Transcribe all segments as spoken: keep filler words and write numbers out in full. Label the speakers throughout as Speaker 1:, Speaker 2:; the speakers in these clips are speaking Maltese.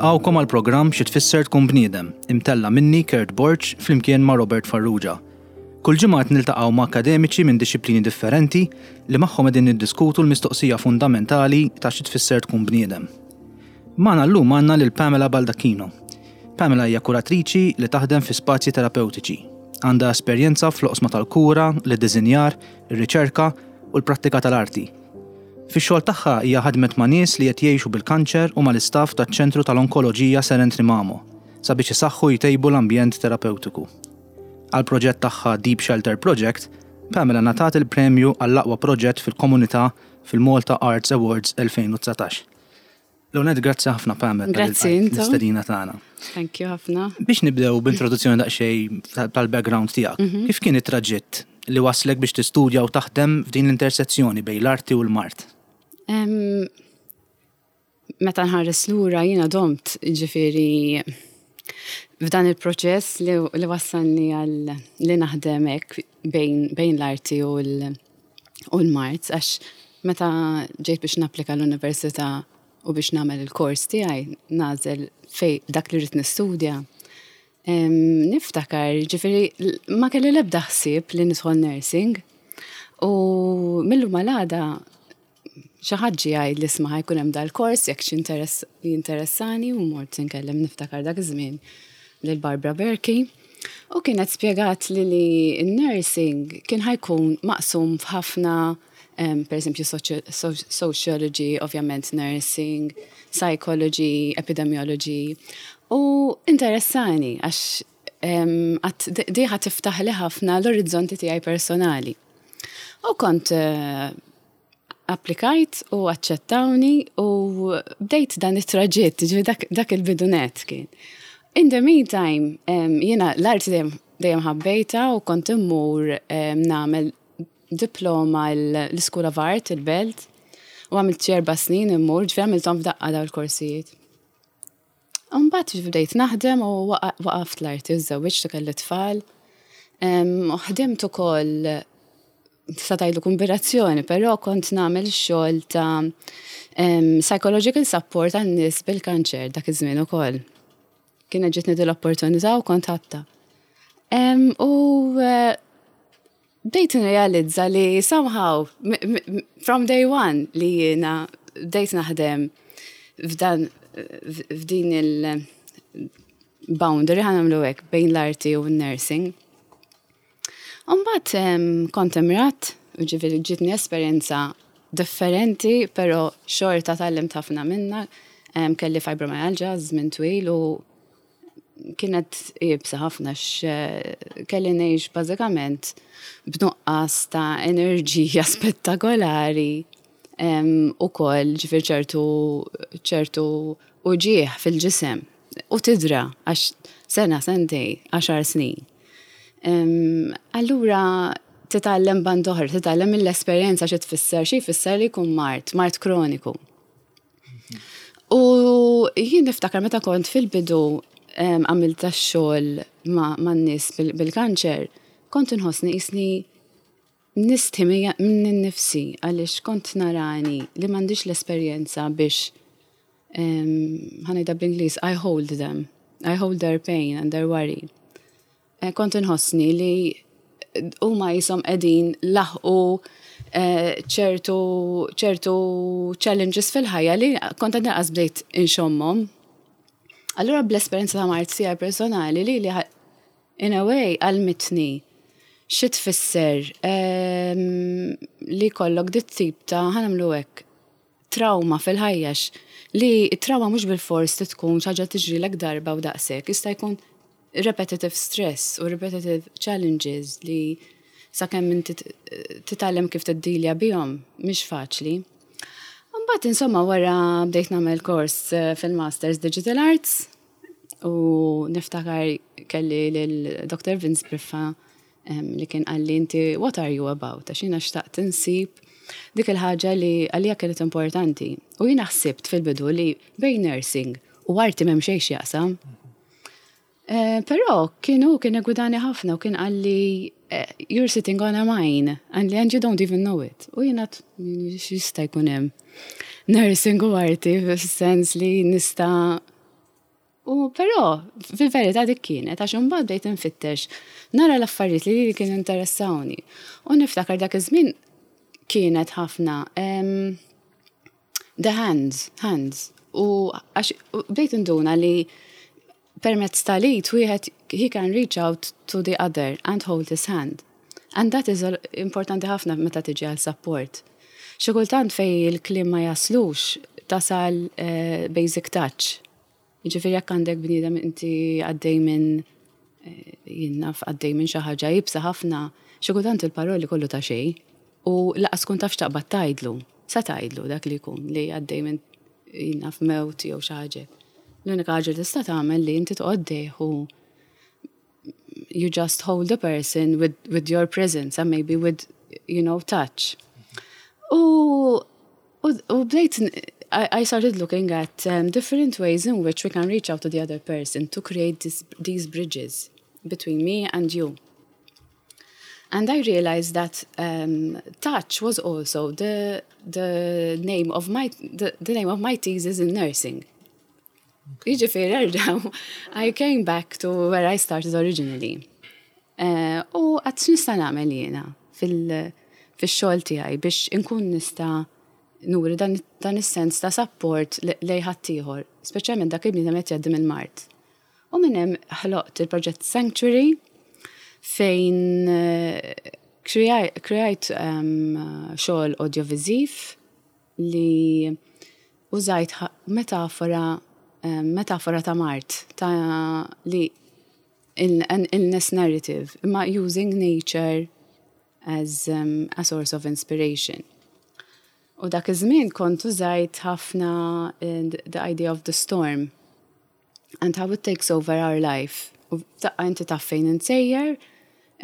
Speaker 1: Nilqgħukom għal programm Xi Tfisser Tkun Bniedem, imtella' minni Kurt Borg flimkien ma' Robert Farrugia. Kull ġimgħa qed niltaqgħu ma' akademiċi minn dixxiplini differenti li magħhom qegħdin niddiskutu l-mistoqsija fundamentali ta' xi tfisser tkun bniedem. Magħna llum għandna lil Pamela Baldacchino. Pamela hija kuratriċi li taħdem fi spazji terapeutiċi. Għandha esperjenza fl-oqsma tal-kura, l-iddisinjar, ir-riċerka u l-prattika tal-arti. Fix-xogħol tagħha hija ħadmet ma' nies li qed jgħixu bil-kanċer u mal-istaff taċ-Ċentru tal-Onkoloġija Sir Anthony Mamo sabiex isaħħu jtejbu l-ambjent terapeutiku. Għal proġett tagħha Deep Shelter Project, Pamela ngħatat il-premju għall-aqwa proġett fil-komunità fil-Malta Arts Awards elfejn u dsatax. L-ewwel nett, grazzi ħafna, Pamela,
Speaker 2: Grazzi intom.
Speaker 1: l-istedina tagħna.
Speaker 2: Thank you ħafna.
Speaker 1: Biex nibdew b'introduzzjoni daqsxejn tal-background tiegħek. Kif kien it-traġitt li waslek biex tistudja u taħdem f'din l-intersezzjoni bejn l-arti u l-mard?
Speaker 2: Em, Meta nħares lura, jiena domt, ġifieri, f'dan il-proċess li, li wassalni għal li naħdem hekk bejn, bejn l-arti u l- u l-mard, għax meta ġejt biex napplika l-università u biex nagħmel il-kors tiegħi, nagħżel fej dak li rrid nistudja. Em, Niftakar, ġifieri, l- ma kelli l-ebda ħsieb li nidħol nursing u mil-lum għal għada xi ħadd ġie jgħid li isma', ħa jkun hemm dal-kors jekk xi interess jinteressani, u mort nkellem, niftakar dak iż-żmien, lil Barbara Berkey u kienet spjegat li li n-nursing kien ħa jkun maqsum f'ħafna um, per esempio sociology, ovvjament nursing, psychology, epidemiology, u interessani għax um, di ħa tiftaħ li ħafna l-orizzonti tiegħi personali. U kont uh, applikajt u aċċettawni u bdejt dan it-traġitt, ġifieri dak, dak il-bidu nett kien. In the meantime, um, jiena l-arti dejjem dejjem ħabbejta u kont immur um, nagħmel diploma l-School of Art, il-Belt, u għamilt xi erba' snin immur, ġifieri għamilthom f'daqqa daw il-korsijiet. Mbagħad bdejt naħdem u waqaft l-arti, żżewwiġt u kelli tfal. Um, u ħdimt ukoll, tista' tgħidlu kombinazzjoni, però kont nagħmel xogħol ta' um, psychological support għan nies bil-kanċer dak iż-żmien ukoll. Kienet ġietni din l-opportunità u kont ħadtha. Um, u uh, bdejt nirrealizza li somehow, from day one li jiena bdejt naħdem f'dan f'din il-boundary, ħa nagħmlu hekk, bejn l-arti u n-nursing. Mbagħad kont imradt, u ġifieri ġietni esperjenza differenti, però xorta tgħallimt ħafna minna. Kelli fibromyalgia żmien twil u kienet iebsa ħafna, kelli ngħix bażikament b'nuqqas ta' enerġija spettakolari u koll, ġifieri ċertu ċertu uġigħ fil-ġisem u tidra għax sena, sentejn, għaxar snin. Allura titgħallem band'oħra, titgħallem mill-esperjenza xi tfisser, xi jfisser li jkun mard, mard kroniku. U jien niftakar meta kont fil-bidu għamilt xogħol ma' n-nies bil-kanċer, kont inħossni qisni nistħi minn nifsi għaliex kont narani li m'għandix l-esperjenza biex, ħa ngħidha bl-Ingliż, I hold them, I hold their pain and their worry. Eh, kont inħossni li huma qishom qegħdin laħqu eh, ċertu ċertu challenges fil-ħajja li kont għadni qas bdejt inxommhom. Allura bl-esperjenza ta' mard tiegħi personali li li in a way għallmitni xi tfisser ehm, li jkollok dit tip ta', ħa nagħmlu hekk, trauma fil-ħajja, li trauma mhux bil-fors tkun xi ħaġa tiġrilek darba u daqshekk, jista' jkun repetitive stress u repetitive challenges li sakemm inti titgħallem kif tiddilja bihom mhix faċli. Mbagħad, insomma, wara bdejt nagħmel kors eh, fil-Masters Digital Arts u niftakar kelli lil Doctor Vince Briffa li kien qalli, "Inti what are you about?" Għax jiena xtaqt insib dik il-ħaġa li għalija kienet importanti. U jiena ħsibt fil-bidu li bejn nursing u arti m'hemm xejn x'jaqsam. Eh, però kienu kien gwidani ħafna u kien qalli, eh, "You're sitting on a mine," and, and you don't even know it." U jiena, x'jista' jkun hemm nursing u arti fis-sens li nista' U però, fil-verità dik kienet, għax imbagħad bdejt infittex nara l-affarijiet li li kienu interessawni. U niftakar dak iż-żmien kienet ħafna em, the hands, hands. U għax u bdejt induna li permezz tal-id wieħed he can reach out to the other and hold his hand. And that is a- importanti ħafna meta tiġi għal support. Xi kultant fej il-kliem ma jaslux tasal eh, basic touch. Jiġifieri jekk għandek bniedem inti għaddej minn eh, jien naf għaddej minn xi ħaġa iebsa ħafna, xi kultant il-paroli kollu ta' xejn u lanqas tkun taf x'taqbad tgħidlu. Sa tgħidlu dak li jkun li għaddej minn jien naf mewt jew xi ħaġa. L-unika ħaġa li tista' tagħmel li inti toqgħod u you just hold the person with, with your presence and maybe with, you know, touch. U, u, u bdejt, I, I started looking at um, different ways in which we can reach out to the other person to create this, these bridges between me and you. And I realized that um, touch was also the the name of my the, the name of my thesis in nursing. Jiġifieri erġa' I came back to where I started originally. Uh, u għedt x'nista' nagħmel jiena fil- fix-xogħol tiegħi biex inkun nista' nuri dan, dan is-sens ta' support le- lejn ħaddieħor, speċjalment dak il-bniedem qed jgħaddi mill-mard. U minn hemm ħloqt il-proġett Sanctuary fejn eh, kreajt um, xogħol audiovisiv li użajt ħa- metafora um, metafora ta' mard ta' li in, an illness narrative imma using nature as um, a source of inspiration. U dak iż-żmien kont użajt ħafna eh, the idea of the storm and how it takes over our life. U daqqa inti taf fejn int sejjer,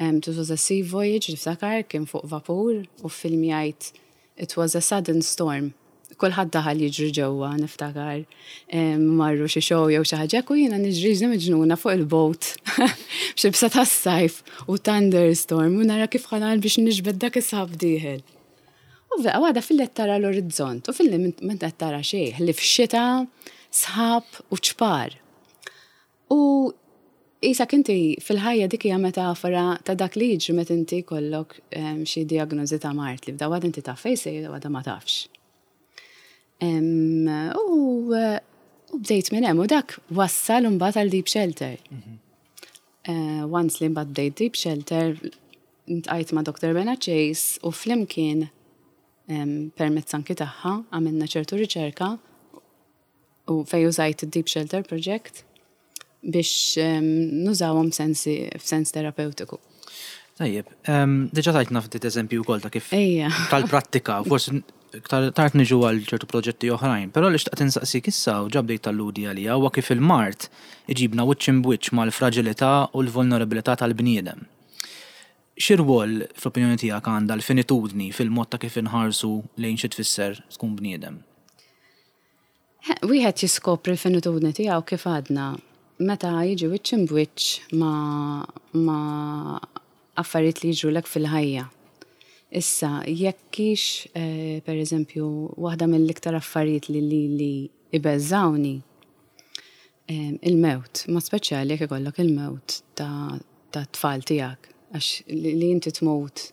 Speaker 2: um, it was a sea voyage, niftakar, kien fuq vapur, u filmjajt it was a sudden storm. Kulħadd daħal jiġri ġewwa, niftakar, um, marru xi show jew xi ħaġa, u jiena niġri ġni miġnuna fuq il-boat, b'xibsa tas-sajf u thunderstorm, u nara kif ħa nagħmel biex niġbed dak is-sħab dieħel. U f'daqqa waħda filli qed tara l-orizzont, u filli m'int qed tara xejn, li f'xita, sħab u ċpar. U qisek inti fil-ħajja dik hija metafora ta' dak li jiġri meta inti jkollok em, xi diagnosi ta' mard li f'daqqa waħda inti taf fejn sejjer waħda ma tafx. Em, U u bdejt minn hemm u dak wassal imbagħad għal Deep Shelter. Eh, Once li mbagħad bdejt Deep Shelter, iltqajt ma' Dr. Bena Chase u flimkien em, permezz anki tagħha għamilna ċertu riċerka u fej użajt id-Deep Shelter Project biex em, nużawhom sensi f'sens terapeutiku.
Speaker 1: Tajjeb, em, diġà tajtna ftit eżempju wkoll ta' kif
Speaker 2: Ejja.
Speaker 1: tal-prattika, forsi iktar tard niġu għal ċertu proġetti oħrajn, però li xtaqt insaqsik issa u ġa bdejt talludi għalija huwa kif il-mard iġibna wiċċ imb'wiċċ mal-fragilità u l-vulnerabilità tal-bniedem. X'irwol fl-opinjoni tiegħek għandha l-finitudni fil-mod ta' kif inħarsu lejn xi tfisser tkun bniedem?
Speaker 2: Wieħed jiskopri l-finitudni tiegħu kif għadna meta jiġi wiċċ imb'wiċċ ma' ma affarijiet li jiġrulek fil-ħajja. Issa, jekk hix, eh, per eżempju, waħda mill-iktar affarijiet li li li ibeżżawni eh, il-mewt, ma speċjali jekk ikollok il-mewt ta' ta' tfal tiegħek, għax li, li inti tmut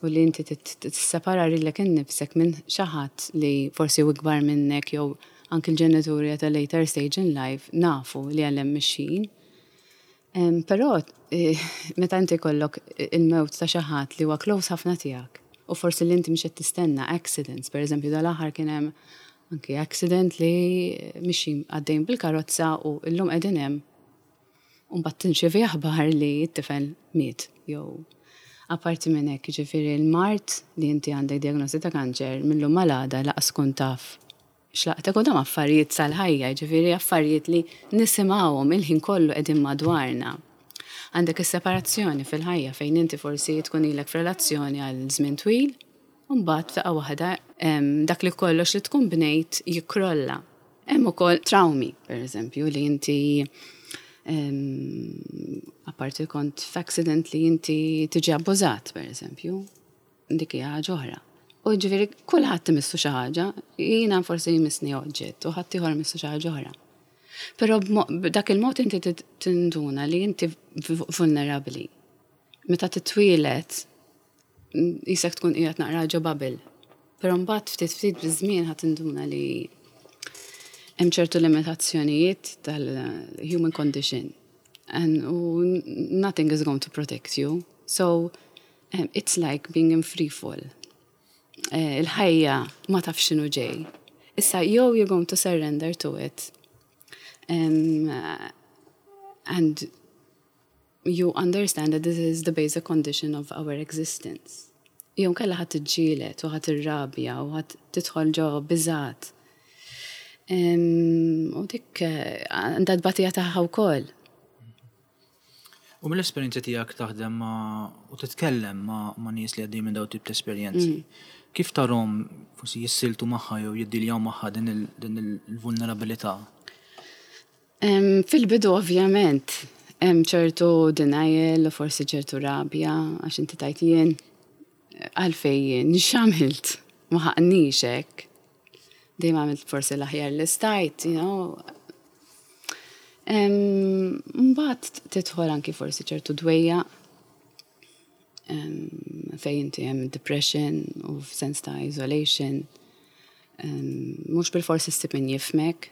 Speaker 2: u li inti tissepara lilek innifsek minn xi ħadd li forsi u ikbar minnek jew anki l-ġenituri at a later stage in life nafu li għal hemm mexjin. Em, Però eh, meta inti jkollok il-mewt ta' xi ħadd li huwa close ħafna tiegħek u forsi li inti mhux qed tistenna accidents, per eżempju dal-aħħar kien hemm anki accident li mixi għaddejn bil-karozza u llum qegħdin hemm u mbagħad tirċievi aħbar li t-tifel miet jew apparti minn hekk, jiġifieri l-mard li inti għandek diagnosi ta' kanċer mil-lum għal għada lanqas tkun taf x'laqtek u dam affarijiet sal-ħajja, jiġifieri affarijiet li nisimgħuhom il-ħin kollu qegħdin madwarna. Għandek is-separazzjoni fil-ħajja fejn inti forsi tkun ilek f'relazzjoni għal żmien twil, u mbagħad f'daqqa waħda em, dak li kollox li tkun bnejt jikkrolla. Hemm ukoll traumi, per eżempju, li inti em, apparti kont f'accident li inti tiġi abbużat, per eżempju, dik hija ħaġa oħra. U ġifieri kulħadd imissu xi ħaġa, jiena forsi jmissni oġġett u ħadd ieħor imissu xi ħaġa oħra. Però b'dak il-mod inti tinduna li inti vulnerabli. Meta titwieled, qisek tkun qiegħed naqra ġo bubble. Però mbagħad ftit ftit biż-żmien ħa tinduna li hemm ċertu limitazzjonijiet tal-human condition and nothing is going to protect you. So um, it's like being in free fall. Eh, il-ħajja ma taf x'inhu ġej. Issa jew you're going to surrender to it um, and you understand that this is the basic condition of our existence. Jew inkella ħa tiġġieled u ħa tirrabja u ħa tidħol ġo biżgħat. U dik eh, għandha tbatija tagħha wkoll.
Speaker 1: U mill-esperjenza tiegħek taħdem ma' u titkellem ma' ma' nies li għaddejjin minn dawn tip ta' esperjenzi. Mm. Kif tarahom forsi jissieltu magħha jew jiddiljaw magħha din il-vulnerabilità?
Speaker 2: Fil-bidu ovvjament hemm ċertu denial u forsi ċertu rabja għax inti tgħid jien għalfejn jien x'għamilt ma ħaqqnix hekk. Dejjem għamilt forsi l-aħjar li stajt, you know. Mbagħad tidħol anki forsi ċertu dwejjaq fejn inti hemm depression u f'sens ta' isolation. Mhux bil-forsi ssib min jifhmek,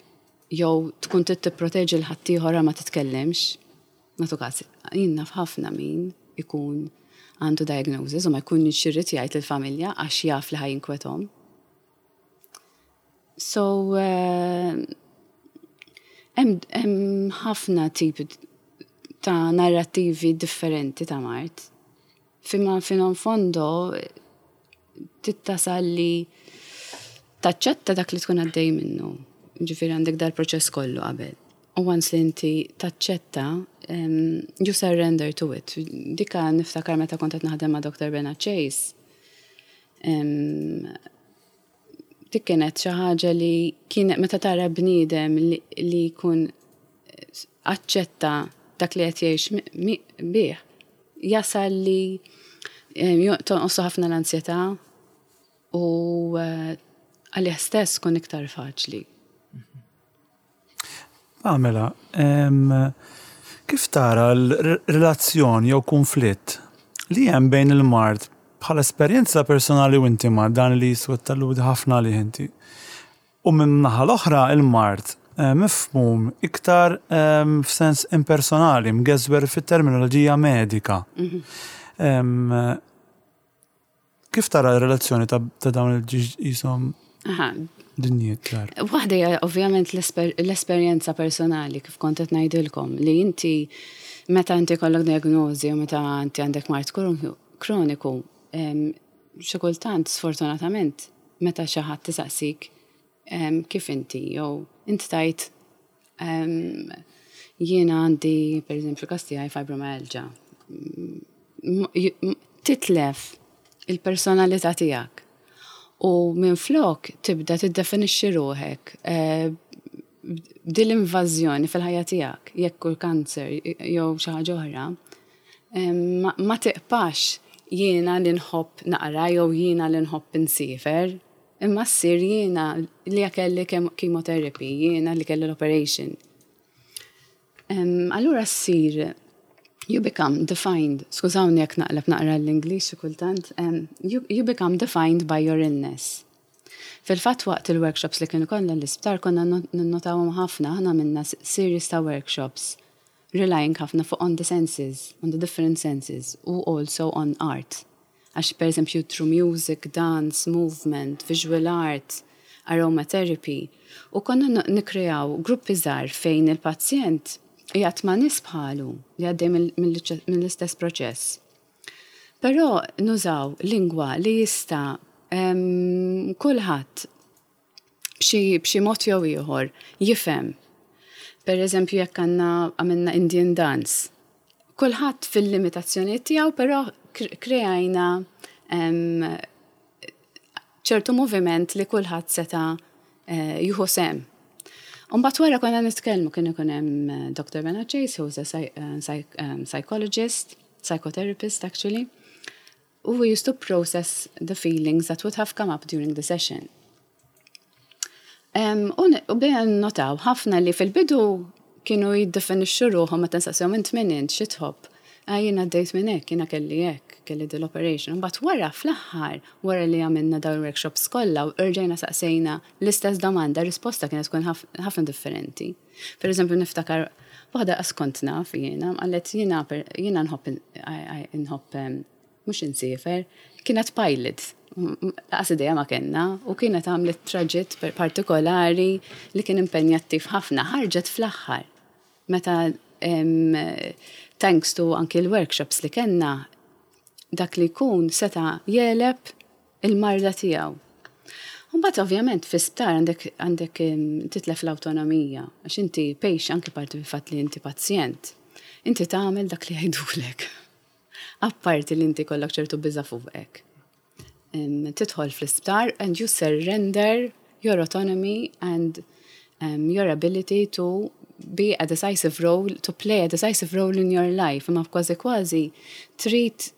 Speaker 2: jew tkun trid tipproteġi 'l ħaddieħor ma titkellimx. Nagħtu każ, jien naf ħafna min ikun għandu diagnosis u ma jkun irid jgħid il-familja għax jaf li ħa jinkwetahom. So, hemm ħafna tipi ta' narrativi differenti ta' mard. Fima fino in fondo tittasal li taċċetta dak li tkun għaddej minnu. Ġifieri għandek dal-proċess kollu qabel. U once li inti taċċetta, um, you surrender to it. Dika niftakar meta kont qed naħdem ma' Dr. Bernard Chase. Um, dik kienet xi ħaġa li kienet meta tara bniedem li, li jkun aċċetta dak li qed jgħix bih, jasal li tonqosu ħafna l-ansjetà u eh, għalih stess kun iktar faċli.
Speaker 3: Pamela, kif tara l-relazzjoni jew konflitt li hemm bejn il-mard bħala esperjenza personali u intima dan li jiswa talludi ħafna li inti. U minn naħa l-oħra il-mard eh, mifhum iktar f'sens impersonali, mgeżwer fit-terminoloġija medika. Mhm. Kif tara l-relazzjoni ta' dawn il-ġisom dinjiet ċar?
Speaker 2: Waħda hija ovvjament l-esperjenza personali kif kont qed ngħidilkom li inti meta inti kollok diagnosi u meta inti għandek mard kroniku, xi kultant sfortunatament meta xi ħadd tisaqsik kif inti jew inti tgħid jiena għandi pereżempju każ tiegħi fibromyalgia. Titlef il-personalità tiegħek. U minn flok tibda tiddefinixxi ruħek eh, b'dil invażjoni fil-ħajja tiegħek, jekk hu kanser jew xi ħaġa oħra, ma tiqpax jiena li nħobb naqra jew jiena li nħobb insiefer, imma ssir jiena li kelli chemotherapy, jiena li kelli l-operation. Allura ssir you become defined, skużawni jekk naqleb naqra l-Ingliż kultant, um, you, you become defined by your illness. Fil-fatt waqt il-workshops li kienu kollha l-isptar konna ninnotawhom ħafna, aħna għamilna series ta' workshops relying ħafna fuq on the senses, on the different senses, u also on art. Għax per eżempju through music, dance, movement, visual art, aromatherapy. U konna nikreaw gruppi żgħar fejn il-pazjent qiegħed ma' nies bħalu li għaddej mill-istess proċess. Però nużaw lingwa li jista' kulħadd b'xi mod jew ieħor jifhem. Per eżempju jekk għandna għamilna Indian dance. Kulħadd fil-limitazzjoni tiegħu, però kreajna ċertu moviment li kulħadd seta' eh, jieħu sehem. Umbagħad wara konna nitkellmu kien ikun hemm eh, Dr. Bernard Chase, who's a eh, um, psychologist, psychotherapist actually. U we used to process the feelings that would have come up during the session. U bdejna notaw ħafna li fil-bidu kienu jiddefinixxu ruħhom meta nsaqsihom int min int xi tħobb. Ah, jiena għaddejt minn hekk, jiena kelli hekk, kelli dil-operation. Mbagħad wara fl-aħħar, wara li għamilna dawn workshops kollha u rġajna saqsejna l-istess domanda, risposta kienet tkun ħafna differenti. Per eżempju, niftakar waħda kont naf jiena, qalet jiena jiena nħobb nħobb mhux insiefer, kienet pilot. Lanqas idea ma kellna u kienet għamlet traġitt partikolari li kien impenjattiv ħafna, ħarġet fl-aħħar. Meta thanks to anki l-workshops li kellna, dak li jkun seta jegħleb il-marda tiegħu. Mbagħad ovvjament fi sptar għandek għandek titlef l-awtonomija, għax inti patient anki parti fil-fatt li inti pazjent. Inti tagħmel dak li jgħidulek. Apparti li inti kollok ċertu biża fuqek. Tidħol fl-isptar and you surrender your autonomy and um, your ability to be a decisive role, to play a decisive role in your life. Imma kważi kważi trid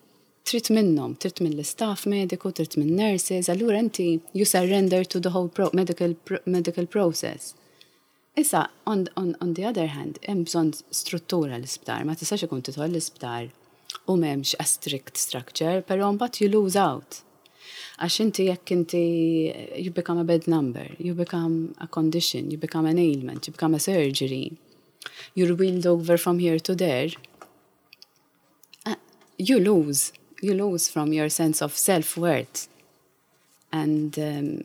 Speaker 2: trid minnhom, trid mill-istaff mediku, trid minn nurses, allura inti you surrender to the whole pro medical, pro medical process. Issa, on, on, on the other hand, hemm bżonn struttura l-isptar, ma tistax ikun tidħol l-isptar u m'hemmx a strict structure, però mbagħad you lose out. Għax inti jekk inti you become a bad number, you become a condition, you become an ailment, you become a surgery. You're wheeled over from here to there. Uh, you lose. You lose from your sense of self-worth. And um,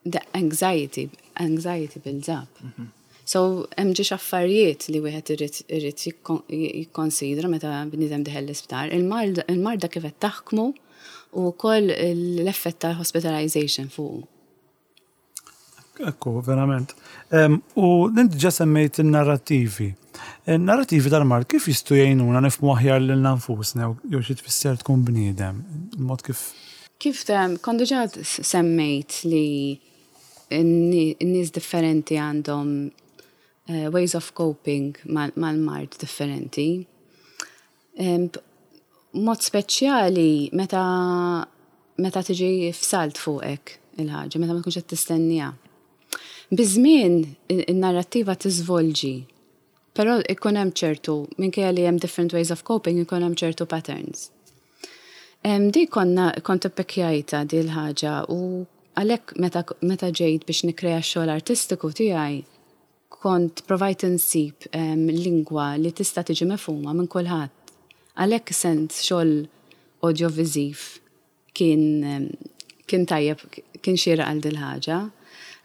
Speaker 2: the anxiety, anxiety builds up. Mm -hmm. So, hemm ġiex affarijiet li wieħed irid irid jikkonsidra meta bniedem dieħel l-isptar. Il-marda kif qed taħkmu u wkoll l-effett ta' hospitalization fuq.
Speaker 3: Ekku, verament. U inti ġa semmejt il-narrativi. Il-narrativi tal-mard kif jistgħu jgħinuna nifhmu aħjar lil nfusna jew xi tfisser tkun bniedem? Il-mod kif
Speaker 2: Kif kont diġà semmejt li n-nies differenti għandhom uh, ways of coping mal-mard differenti. Mod speċjali meta meta tiġi f'salt fuqek il-ħaġa, meta ma tkunx qed tistennija. Biż-żmien in-narrattiva tiżvolġi, però ikun hemm ċertu, minkejja li hemm different ways of coping, ikun hemm ċertu patterns. Di konna kont ippekkjajta di l-ħaġa u għalhekk meta, meta ġejt biex nikrea x-xogħol artistiku tiegħi, kont provajt insib um, lingwa li tista' tiġi mifhuma minn kulħadd. Għalhekk sens xogħol audiovisiv kien kien tajjeb, kien xieraq għal dil-ħaġa.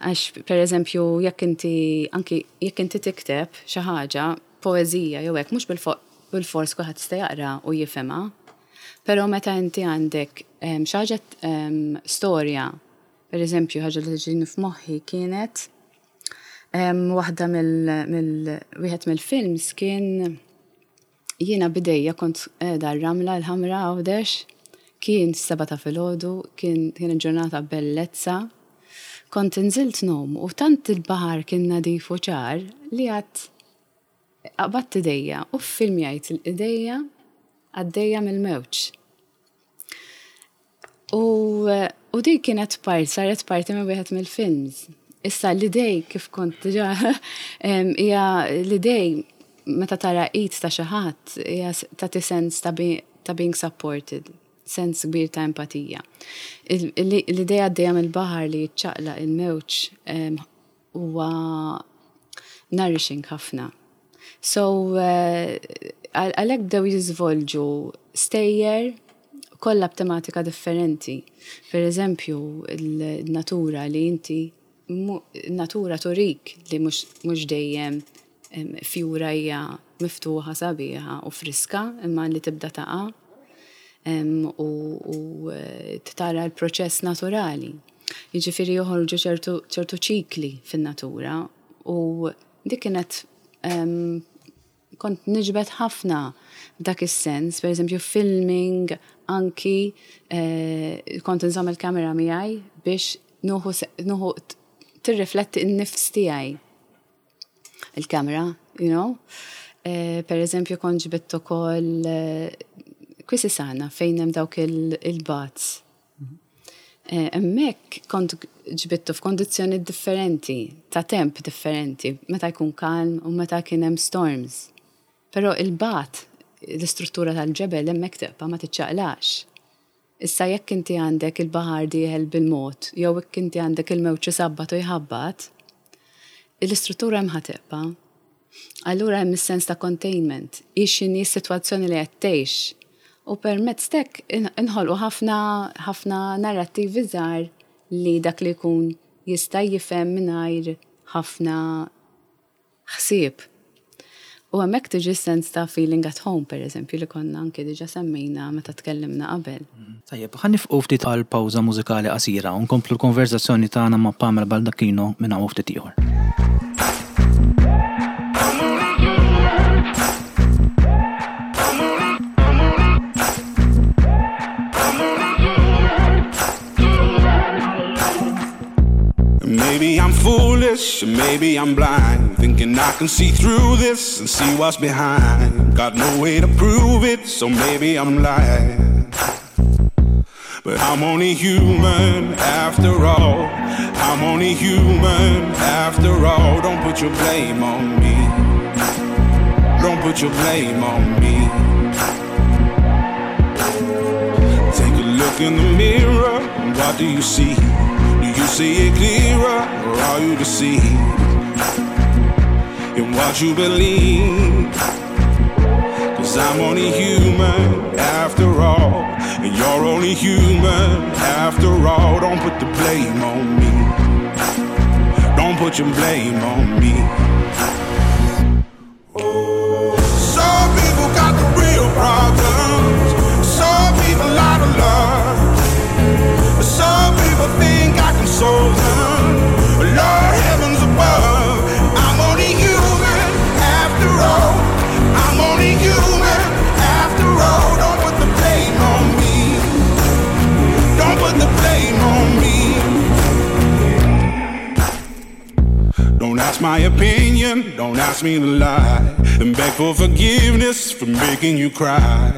Speaker 2: Għax, per eżempju, jekk inti anki jekk inti tikteb xi ħaġa, poeżija jew hekk, mhux bil-fors kulħadd jista' jaqra u jifhimha. Però meta inti għandek xi ħaġa storja, per eżempju, ħaġa li tiġini f'moħħi kienet waħda mill wieħed mill-films kien jiena b'idejja kont qiegħda r-ramla l-ħamra Għawdex, kien seba ta' filgħodu, kien kien ġurnata bellezza. Kont inżilt ngħum u tant il-baħar kien nadif u ċar li għat qbadt idejja u filmjajt l-idejja għaddejja mill-mewġ. U, u di kienet part, saret parti minn wieħed mill-films. Issa l-idej kif kont diġà hija l-idej meta tara id ta' xi ħadd hija tagħti sens ta' ta' being supported, sens kbir ta' empatija. L-idea għaddejja mill-baħar li jiċċaqlaq il-mewġ huwa nourishing ħafna. So, għalhekk bdew jiżvolġu stejjer kollha b'tematika differenti. Per eżempju, il-natura li inti natura turik li mhux dejjem fjura hija miftuħa sabiħa u friska imma li tibda taqa' u, u tara l-proċess naturali. Jiġifieri joħorġu ċertu ċikli fin-natura u dik kienet kont niġbed ħafna f'dak is-sens, per eżempju filming anki eh, kont nżomm il-kamera miegħi biex nuħu tirrifletti n-nifs tiegħi il-kamera, you know. Eh, per eżempju kont ġbidt ukoll eh, Quisisana fejn hemm dawk il-baths. Eh, hemmhekk kont ġbittu f'kondizzjoni differenti, ta' temp differenti, meta jkun kalm u meta kien hemm storms. Però il-bat, l-istruttura tal-ġebel hemmhekk tibqa' ma tiċċaqlax. Issa jekk inti għandek il-baħar dieħel bil-mod, jew jekk inti għandek il-mewġ isabbat u jħabbat, l-istruttura hemm ħa tibqa'. Allura hemm is-sens ta' containment, hi x'inhi s-sitwazzjoni li qed tgħix. U permezz t'hekk inħolqu ħafna ħafna narrattivi żgħar li dak li jkun jista' jifhem mingħajr ħafna ħsieb. U hemmhekk tiġi sens ta' feeling at home, per eżempju, li konna anke diġà semmejna meta tkellimna qabel.
Speaker 1: Tajjeb, ħa nieqfu ftit għal pawża mużikali qasira u nkomplu l-konverzazzjoni tagħna ma' Pamela Baldacchino minn hawn ftit ieħor.
Speaker 4: Maybe I'm foolish, maybe I'm blind, thinking I can see through this and see what's behind. Got no way to prove it, so maybe I'm lying. But I'm only human after all. I'm only human after all. Don't put your blame on me. Don't put your blame on me. Take a look in the mirror, and what do you see? Do you see it clearer, or are you deceived in what you believe? 'Cause I'm only human after all, and you're only human after all. Don't put the blame on me. Don't put your blame on me. Some people got the real problems. Some people out of love. Some people think I can solve them. Lord heavens above, I'm only human after all. I'm only human after all. Don't put the blame on me. Don't put the blame on me. Don't ask my opinion, don't ask me to lie, and beg for forgiveness for making you cry.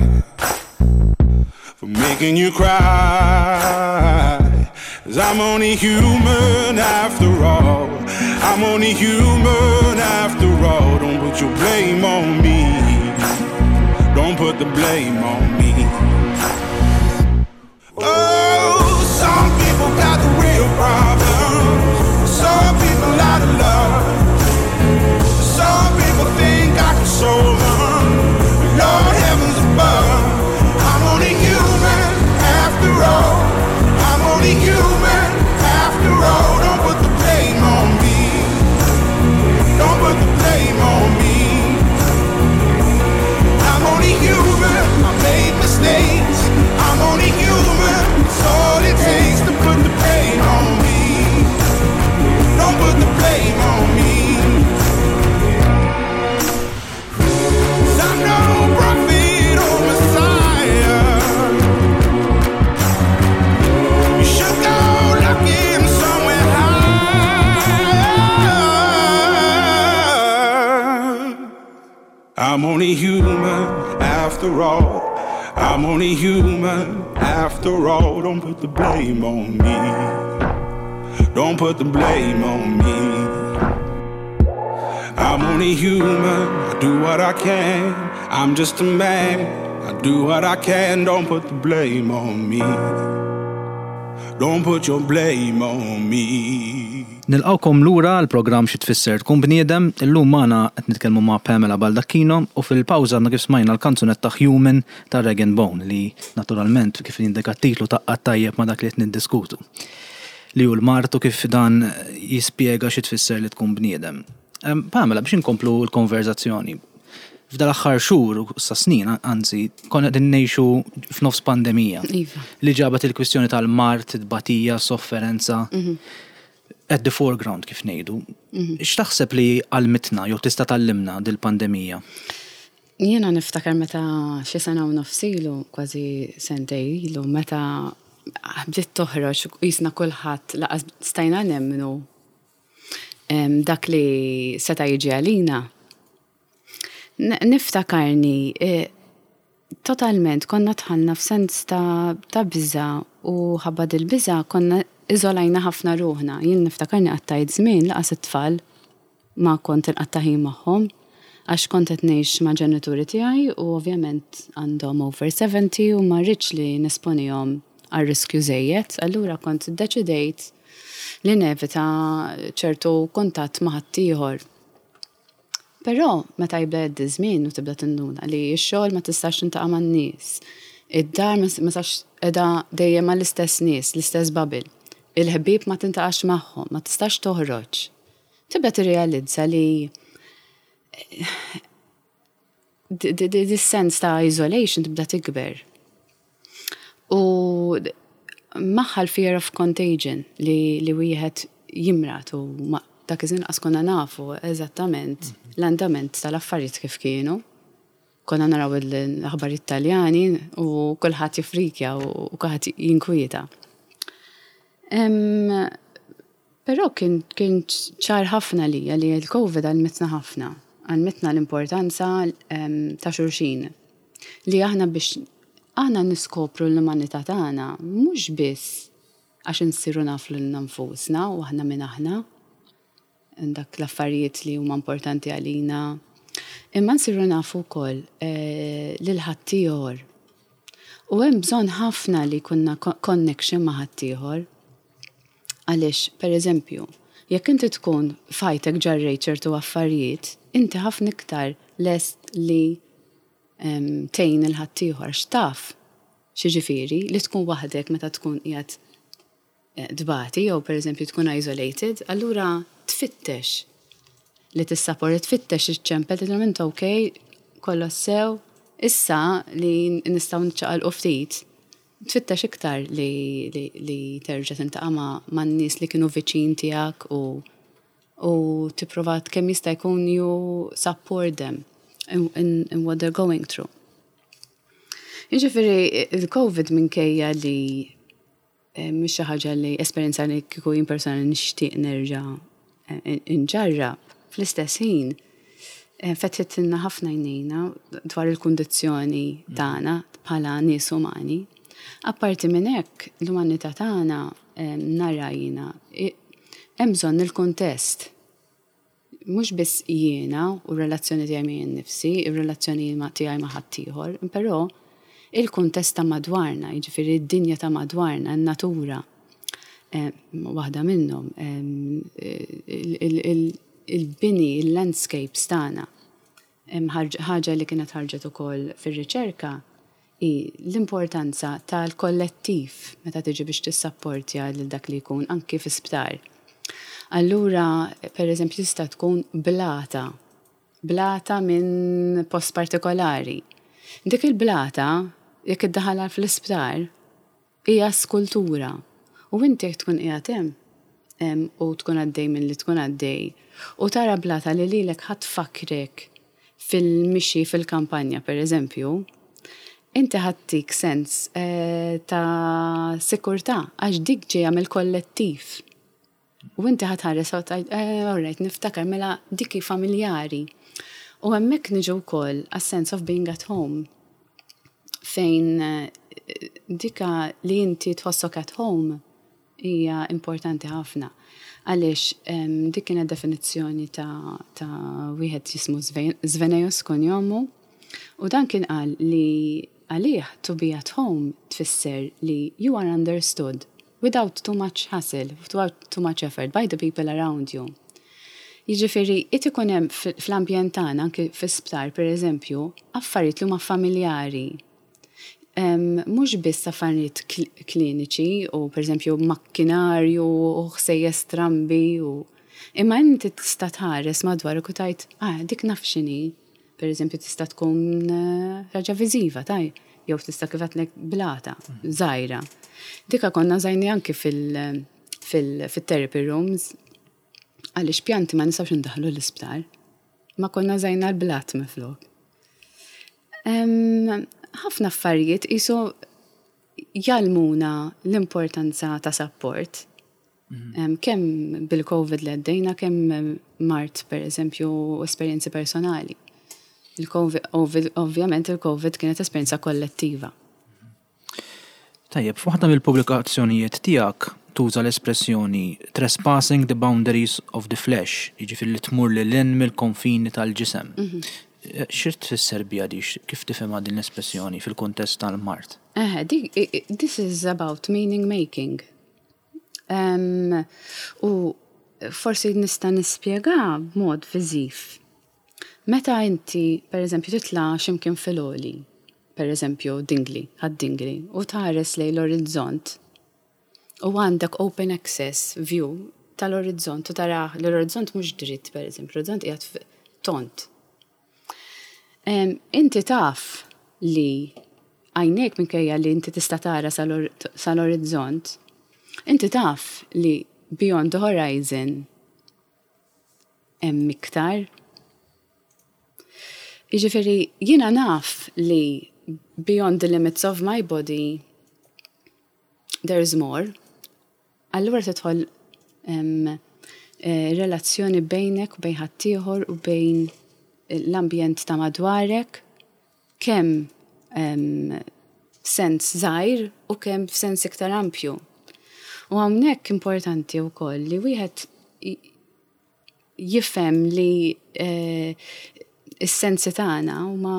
Speaker 4: For making you cry. 'Cause I'm only human after all. I'm only human after all. Don't put your blame on me. Don't put the blame on me. Oh, some people got the real problems. Some people out of love. Some people think I can solve them. Lord heavens above, I'm only human after all. I'm only human after all. Don't put the blame on me. Don't put the blame on me. I'm only human. I made mistakes. I'm only human. It's all it takes to put the blame on me. Don't put the blame on me. 'Cause I'm no prophet or messiah. You should go looking somewhere higher. I'm only human after all. I'm only human after all. Don't put the blame on me. Don't put the blame on me. I'm only human, I do what I can. I'm just a man, I do what I can. Don't put the blame on me. Don't put your blame on me.
Speaker 1: Nilqawkom lura għal programm Xi Tfisser Tkun Bniedem. Illum magħna qed nitkellmu ma' Pamela Baldacchino u fil-pawża għandna kif smajna l-kanzunetta Human ta' Rag and Bone li naturalment kif jindika t-titlu taqgħad tajjeb ma' dak li qed niddiskutu. Li hu l-mard u kif dan jispjega xi tfisser li tkun bniedem. Pamela, biex inkomplu l-konverzazzjoni, f'dal aħħar xhur u sa snin, anzi, konna qegħdin ngħixu f'nofs pandemija.
Speaker 2: Iva.
Speaker 1: Li ġabet il-kwistjoni tal-mard, it-tbatija, sofferenza, at the foreground kif ngħidu. X'taħseb li għallmitna jew tista' tgħallimna dil-pandemija?
Speaker 2: Jiena niftakar meta xi sena u nofs ilu, kważi sentej ilu, meta bdiet toħroġ jisna kulħadd laqas stajna nemmnu em, dak li seta' jiġi għalina. N- Niftakarni eh, Totalment, konna dħalna f'sens ta', ta' biża u ħabba dil-biża konna iżolajna ħafna ruħna. Jien niftakarni qattajt żmien lanqas it-tfal ma kont inqatta' ħin magħhom għax kont qed ngħix ma' ġenituri tiegħi u ovvjament għandhom over seventy u ma rridx li nesponihom għal riskju żejjed, allura kont iddeċidejt li nevita ċertu kuntatt ma' ħaddieħor. Però meta jibda jgħaddi żmien u tibda tinduna li x-xogħol ma tistax tintaqa' man-nies, id-dar ma tistax qiegħda dejjem mal-istess nies, l-istess bubble. Il-ħbieb ma tintaqax magħhom, ma tistax toħroġ. Tibda tirrealizza li this sense ta' isolation tibda tikber. U magħha l-fear of contagion li, li wieħed jimrad u ma, dak iż-żmien qas konna nafu eżattament l-andament tal-affarijiet kif kienu. Konna naraw l-aħbarijiet Taljani u kulħadd jifrikja u kulħadd jinkwieta. Em, Però kien, kien ċar ħafna li li l-Covid għallmitna ħafna. Għallmitna l-importanza em, ta' xulxin. Li aħna biex aħna niskopru l-umanità tagħna mhux biss għax insiru nafu lilna nfusna u aħna min aħna, dak l-affarijiet li huma importanti għalina, imma nsiru nafu wkoll eh, lil ħaddieħor. U hemm bżonn ħafna li jkollna connection ma' ħaddieħor. Għaliex, per eżempju, jekk inti tkun f'ħajtek ġarrejt ċertu affarijiet, inti ħafna iktar lest li em, tgħin lil ħaddieħor x'taf x'jiġifieri li tkun waħdek meta tkun qiegħed eh, tbati jew per eżempju tkun isolated, allura tfittex li tissapporti, tfittex iċ-ċempel, tgħidilhom int okay, kollox sew, issa li nistgħu nċaqalqu ftit, tfittex iktar li, li, li terġa' tintaqa' ma' man-nies li kienu viċin tiegħek u u tipprova kemm jista' jkun you support them in, in, in what they're going through. Jiġifieri il-Covid minkejja li eh, mhix xi ħaġa li esperjenza li kieku jien personali nixtieq nerġa' eh, inġarrab, fl-istess ħin eh, fetħitilna ħafna għajnejna dwar il-kundizzjoni tagħna bħala nies umani. Apparti minn hekk, l-umanità tagħna eh, nara jiena i- hemm bżonn il-kuntest. Mhux biss jiena u r-relazzjoni tiegħi miegħi nnifsi, ir-relazzjoni ma' tiegħi ma' ħaddieħor, però il-kuntest ta' madwarna, jiġifieri d-dinja ta' madwarna, n-natura. Eh, waħda minnhom, em, il- il- il- il-bini, il-landscapes tagħna. Hemm ħarġ- ħaġa li kienet ħarġet ukoll fir-riċerka hi l-importanza tal-kollettiv meta tiġi biex tissapportja lil dak li jkun anki fi sptar. Allura, per eżempju, tista' tkun blata, blata minn post partikolari. Dik il-blata, jekk iddaħħalha fl-isptar, hija skultura. U inti jekk tkun qiegħed hemm em, u tkun għaddej minn li tkun għaddej, u tara blata li lilek ħa tfakkrek fil-mixi fil-kampanja, per eżempju, inti ħa ttik sens eh, ta' sikurtà, għax dik ġejja mill-kollettiv. U inti ħa tħares u tgħid, eh, all right, niftakar mela dik hi familjari. U hemmhekk niġu wkoll a sense of being at home fejn eh, dika li inti tħossok at home hija importanti ħafna. Għaliex em, dik kienet definizzjoni ta', ta' wieħed jismu Sve- Svenaeus kunjomu u dan kien qal li għalih to be at home tfisser li you are understood without too much hassle, without too much effort by the people around you. Jiġifieri, it ikun hemm fl-ambjent tagħna anke fi-sptar pereżempju, affarijiet li huma familjari. Em, Mhux biss affarijiet kl- kliniċi u pereżempju makkinarju u ħsejjes strambi u imma inti tista' tħares madwarek u tgħid, ah, dik naf x'inhi. Per eżempju, tista' tkun eh, ħaġa viżiva, taj, jew tista' kif għedtlek blata, żgħira. Dika konna użajnieha anki fil- fil- fil-therapy rooms, għaliex pjanti ma nistgħux ndaħħlu l-isptar. Ma konna użajna l-blat minflok. Em, Ħafna affarijiet qisu jgħallmuna l-importanza ta' support. Em, Kemm bil-Covid li għaddejna, kemm mard per eżempju esperjenzi personali. Il-COVID, ovvjament il-COVID kienet esperjenza kollettiva.
Speaker 1: Tajjeb, f'waħda mill-pubblikazzjonijiet tiegħek tuża l-espressjoni "trespassing the boundaries of the flesh", jiġifieri li tmur lil hinn mill-konfini tal-ġisem. Mhm. Xi tfisser biha di, kif tifhimha din l-espressjoni fil-kuntest tal-mard?
Speaker 2: Eh, this is about meaning making. Um, u forsi nista' nispjega b'mod viżiv. Meta inti, per eżempju, titla' x'imkien fil-għoli, per eżempju, Dingli, Ħad-Dingli, u tħares lejn l-orizzont, u għandek open access view tal-orizzont, u tara l-orizzont mhux dritt, per eżempju, l-orizzont qiegħed tond. Inti taf li għajnejk, minkejja li inti tista' tara sal-orizzont, inti taf li beyond the horizon hemm iktar. Jiġifieri jiena naf li beyond the limits of my body there's more. Allura tidħol um, relazzjoni bejnek u bejn ħaddieħor u bejn l-ambjent ta' madwarek, kemm um, sens żgħir u kemm f'sens iktar ampju. U hawnhekk importanti wkoll li wieħed jifhem li eh, is-sensi tagħna huma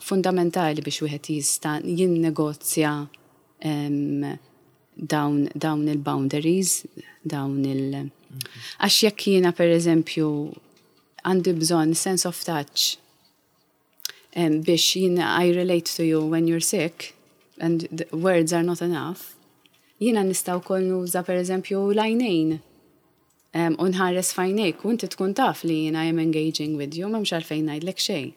Speaker 2: fundamentali biex wieħed jista' jinnegozja dawn, dawn il-boundaries, dawn il- Għax jekk jiena, per eżempju, għandi bżonn sense of touch biex jiena I relate to you when you're sick and the words are not enough, jiena nista' wkoll nuża, per eżempju, l-għajnejn u nħares f'għajnejk u inti tkun taf li jiena I'm engaging with you, m'hemmx għalfejn ngħidlek xejn.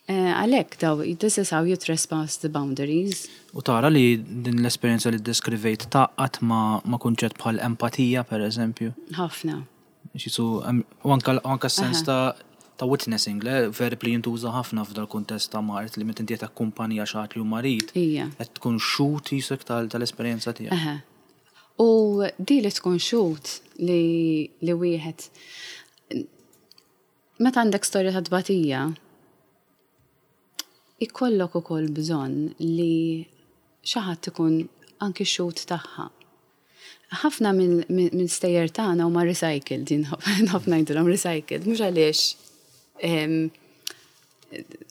Speaker 2: Eh, għalhekk daw, this is how you trespass the boundaries.
Speaker 1: U tara li din l-esperjenza li deskrivejt taqgħat ma, ma kunċett bħal empatija, per eżempju?
Speaker 2: Ħafna.
Speaker 1: Xisu, u anka sens ta' ta' witnessing, le, verb li jintuża ħafna f'dal kuntest ta' mard, li meta inti qed takkumpanja xi ħadd li hu marid, qed tkun xhud jisek tal-esperjenza tiegħek.
Speaker 2: U di li tkun xhud li, li wieħed meta għandek storja ta' tbatija, ikollok ukoll bżonn li xi ħadd ikun anki xhud tagħha. Ħafna minn stejjer tagħna huma recycled, din ħafna ngħidulhom recycled, mhux għaliex,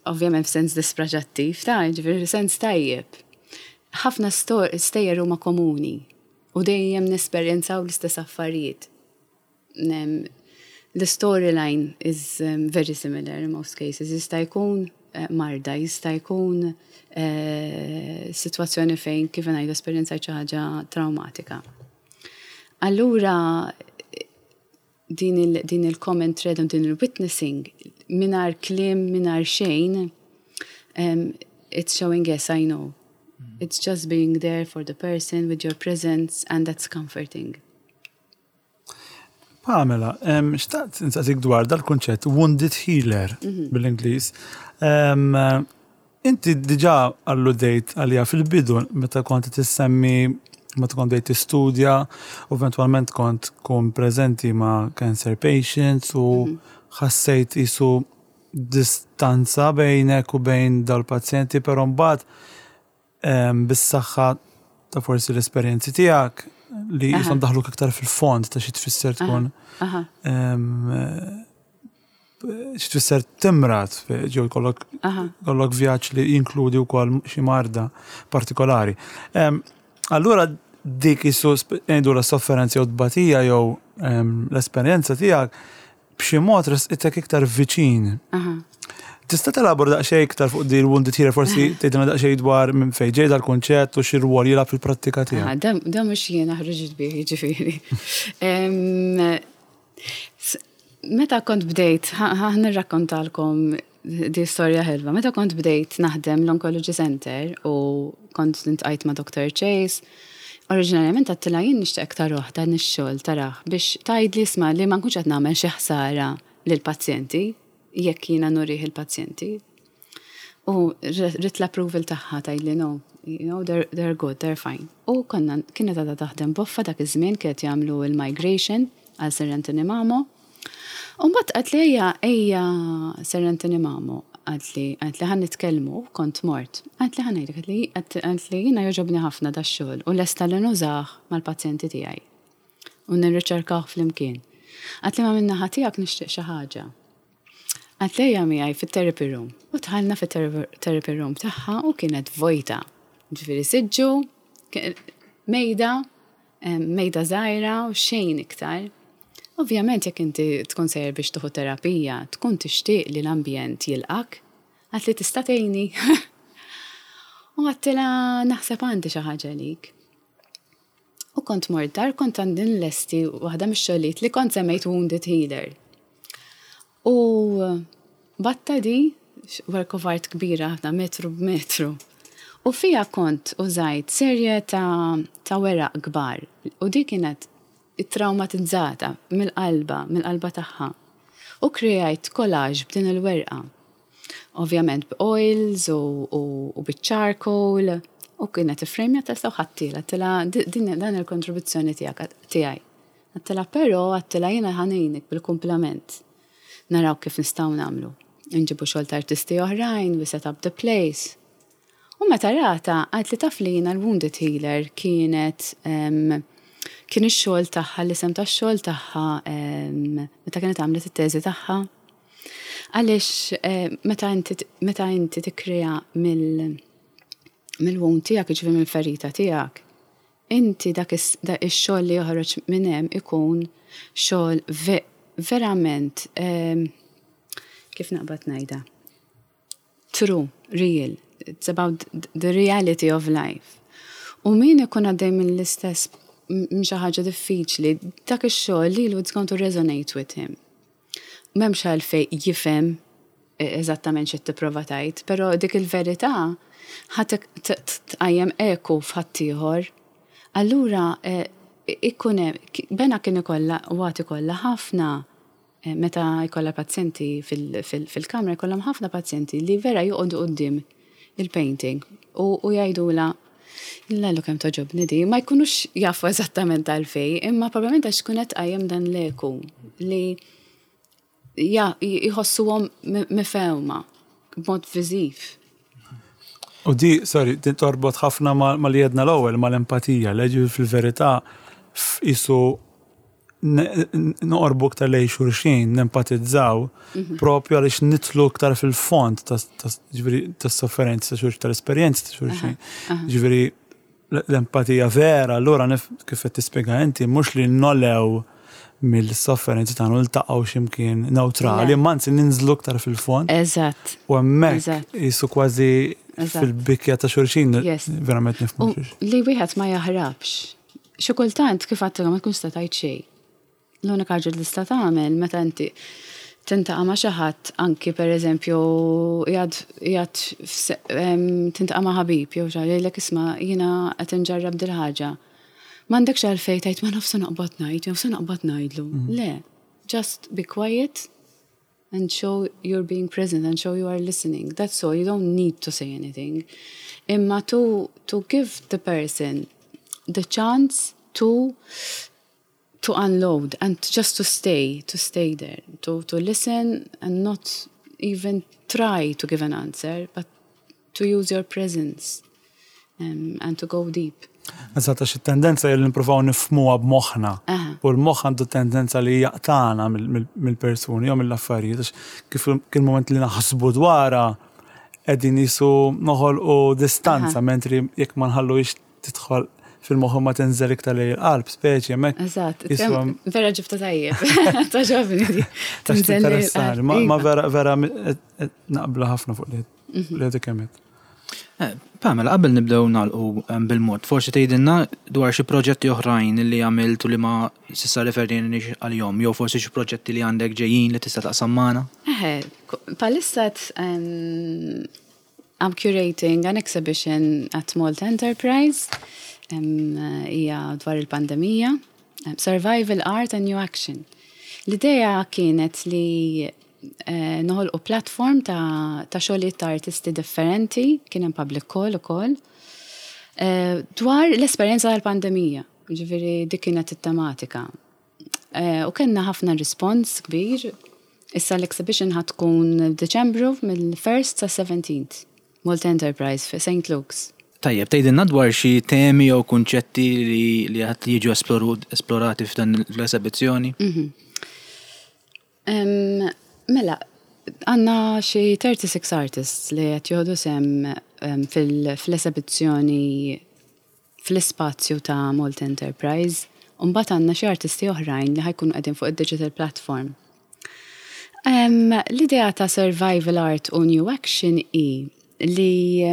Speaker 2: ovvjament f'sens dispreġattiv, ta' ġifieri sens tajjeb. Ħafna stejjer huma komuni u dejjem nesperjenzaw l-istess affarijiet. The storyline is um, very similar in most cases. Jista' jkun eh, marda, jista' jkun eh, situazzjoni fejn, kif ngħidu, esperjenza xi ħaġa traumatika. Allura din il, din il-common thread u din il-witnessing mingħajr kliem, mingħajr xejn, um, it's showing, "Yes, I know." It's just being there for the person with your presence and that's comforting.
Speaker 3: Pamela, xtaqt insaqsik dwar dal-kunċett wounded healer mhm. bil-Ingliż. Inti diġà alludejt għalija fil-bidu meta kont tissemmi meta kont bdejt tistudja u eventwalment kont kun preżenti ma' cancer patients u mhm. ħassejt isu distanza bejnek u bejn dal-pazjenti, però mbagħad bis-saħħa ta' forsi l-esperjenzi tiegħek li jisom daħluk iktar fil-fond ta' xi tfisser tkun xi tfisser timrad, ġew kollok kollok vjaġġ li jinkludi wkoll xi marda partikolari. Allura dik isu ngħidu la sofferenza jew tbatija jew l-esperjenza tiegħek b'xi mod resqitek iktar viċin. Tista' telabora daqsxejn iktar fuq din wounded healer, forsi tgħidilna daqsxejn dwar minn fejn ġej dal-kunċett u xi rwol jilgħab fil-prattika tiegħek?
Speaker 2: Da mhux jiena ħriġt bih, jiġifieri. Meta kont bdejt, ħa nirrakkontalkom di storja ħelwa. Meta kont bdejt naħdem l-Oncology Center u kont iltqajt ma' Doctor Chase, oriġinarjament għedtilha, "Jien nixtieq tarah dan ix-xogħol, tarah biex tgħidli isma' li ma nkunx qed nagħmel xi ħsara lill-pazjenti jekk jiena nurih il-pazjenti." U ridt l-approval tagħha tgħidli, "No, you know, they're, they're good, they're fine." U konna kienet għadha taħdem Boffa dak iż-żmien, kienet jagħmlu il-migration għal Sir Anthony Mamo. U mbagħad qaltli ejja ejja Sir Anthony Mamo, qaltli qaltli ħa nitkellmu, kont mort. Qaltli ħa ngħidlek, qaltli qaltli jiena jogħġobni ħafna dax-xogħol u lesta li nużah mal-pazjenti tiegħi. U nirriċerkawh flimkien. Qaltli ma min-naħa tiegħek nixtieq xi ħaġa. Qaltli ejja miegħi fit-therapy room. U dħalna fit-therapy room tagħha u kienet vojta. Ġifieri siġġu, mejda, mejda żgħira u xejn iktar. Ovvjament jekk inti tkun sejjer biex tieħu terapija, tkun tixtieq li l-ambjent jilqak, qaltli tista' tgħinni. U għedtilha naħseb għandi xi ħaġa lik. U kont mort dar, kont għandi nlesti waħda mix-xogħlijiet li kont semmejt Wounded Healer. U batta di, work of art kbira ħafna metru b'metru. U fija kont użajt serje ta', ta' weraq kbar. U di kienet traumatizzata mill-qalba, mill-qalba tagħha. U krejajt collage b'din il-werqa. Ovvjament b'oils u, u, u bit-charcoal u kienet ifrejmjata u ħadthielha, għedtilha din dan il-kontribuzzjoni tiegħek tiegħi. Għedtilha però għedtilha jiena ħa ngħinek bil-kumplament. Naraw kif nistgħu nagħmlu. Nġibu xogħol ta' artisti oħrajn, we set up the place. U meta rata, qaltli taf li jiena l-Wounded Healer kienet um, kien ix-xogħol tagħha, l-isem tax-xogħol tagħha um, meta kienet għamlet it-teżi tagħha. Għaliex eh, meta inti meta inti tikkrea mill mill-wound tiegħek, jiġifieri mill-ferita tiegħek, inti dak ix-xogħol li joħroġ minn hemm ikun xogħol ve verament um, kif naqbad ngħidha? True, real. It's about the reality of life. U min ikun għaddej mill-istess minn xi ħaġa diffiċli, dak ix-xogħol lilu it's going to resonate with him. M'hemmx għalfejn jifhem eżattament xi tipprova tgħid, però dik il-verità ħa tqajjem eku f'ħaddieħor. Allura ikun hemm Bena kien ikollha u għad ikollha ħafna meta jkollha pazjenti fil-kamra jkollhom ħafna pazjenti li vera joqogħdu quddiem il-painting u jgħidulha Lallu kemm togħġobni di, ma jkunux jafu eżattament għalfejn, imma probabbilment għax tkun qed tqajjem dan l-eku li ja, jħossuhom mifhuma b'mod viżiv.
Speaker 3: U di, sorry, din torbot ħafna ma li għedna l-ewwel mal-empatija, leġi fil-verità jisu noqorbu iktar lejn xulxin, nempatizzaw, mhm. propju għaliex nidħlu iktar fil-fond tas-sofferenza ta' xulxin, tal-esperjenza ta' xulxin. Ġifieri l-empatija vera, allura kif qed tispjega inti, mhux li nogħlew mill-sofferenzi tagħna niltaqgħu x'imkien neutrali, imma anzi ninżlu iktar fil-fond.
Speaker 2: Eżatt.
Speaker 3: U hemmhekk jisu kważi fil-bikja ta' xulxin verament nifhmu xulxin.
Speaker 2: Li wieħed ma jaħrabx. Xi kultant kif għedtilha ma tkunx tista' tgħid xejn. L-unika ħaġa li tista' tagħmel meta inti tiltaqa' ma' xi ħadd anki pereżempju qiegħed tiltaqa' ma' ħabib jew xi jgħidlek isma' jiena qed inġarrab dil ħaġa. M'għandekx għalfejn tgħid ma nafx naqbad ngħid jew se naqbad ngħidlu. Mhm. Le, just be quiet and show you're being present and show you are listening. That's all. You don't need to say anything. Imma to, to give the person the chance to to unload and just to stay, to stay there, to, to listen and not even try to give an answer, but to use your presence um, and to go deep.
Speaker 3: Eżatt, għax it-tendenza li nippruvaw nifhmuha b'moħħna. U l-moħħ għandu tendenza li jaqtana mill-persuni jew mill-affarijiet. Għax kif kien moment li naħsbu dwarha qegħdin jisu noħolqu distanza, mentri jekk ma nħallu tidħol fil-moħħ ma tinżel iktar lejn il-qalb, speċi hemmhekk.
Speaker 2: Eżatt, vera ġibta tajjeb. Togħġobni.
Speaker 3: Tinżel Ma vera vera naqbla ħafna fuq li mhm. għedek kemmet.
Speaker 1: Eh, Pamela, qabel nibdew nagħlqu bil-mod, forsi tgħidilna dwar xi proġetti oħrajn li għamilt u li ma s'issa referejniex għalihom, jew forsi xi proġetti li għandek ġejjin li tista' taqsam magħna?
Speaker 2: Eħe, bħalissa I'm curating an exhibition at Malta Enterprise hija dwar il-pandemija, Survival Art and New Action. L-idea kienet li eh, noħolqu platform ta', ta' xogħlijiet ta' artisti differenti, kien hemm public call ukoll, eh, dwar l-esperjenza tal-pandemija. Ġifieri dik kienet it-tematika. Eh, u kellna ħafna respons kbir. Issa l-exhibition ħa tkun Deċembru mill-first sa seventeenth. Malta Enterprise fi Saint Luke's.
Speaker 1: Tajjeb, tgħidilna dwar xi temi jew kunċetti li li qed jiġu esplorati f'dan l-esebizzjoni?
Speaker 2: Mhm. Mela, għandna xi thirty-six artists li qed jieħdu sehem fil-esebizzjoni fl-ispazju ta' Malta Enterprise. U mbagħad għandna xi artisti oħrajn li ħa jkunu qegħdin fuq id-digital platform. L-idea ta' Survival Art u New Action hi li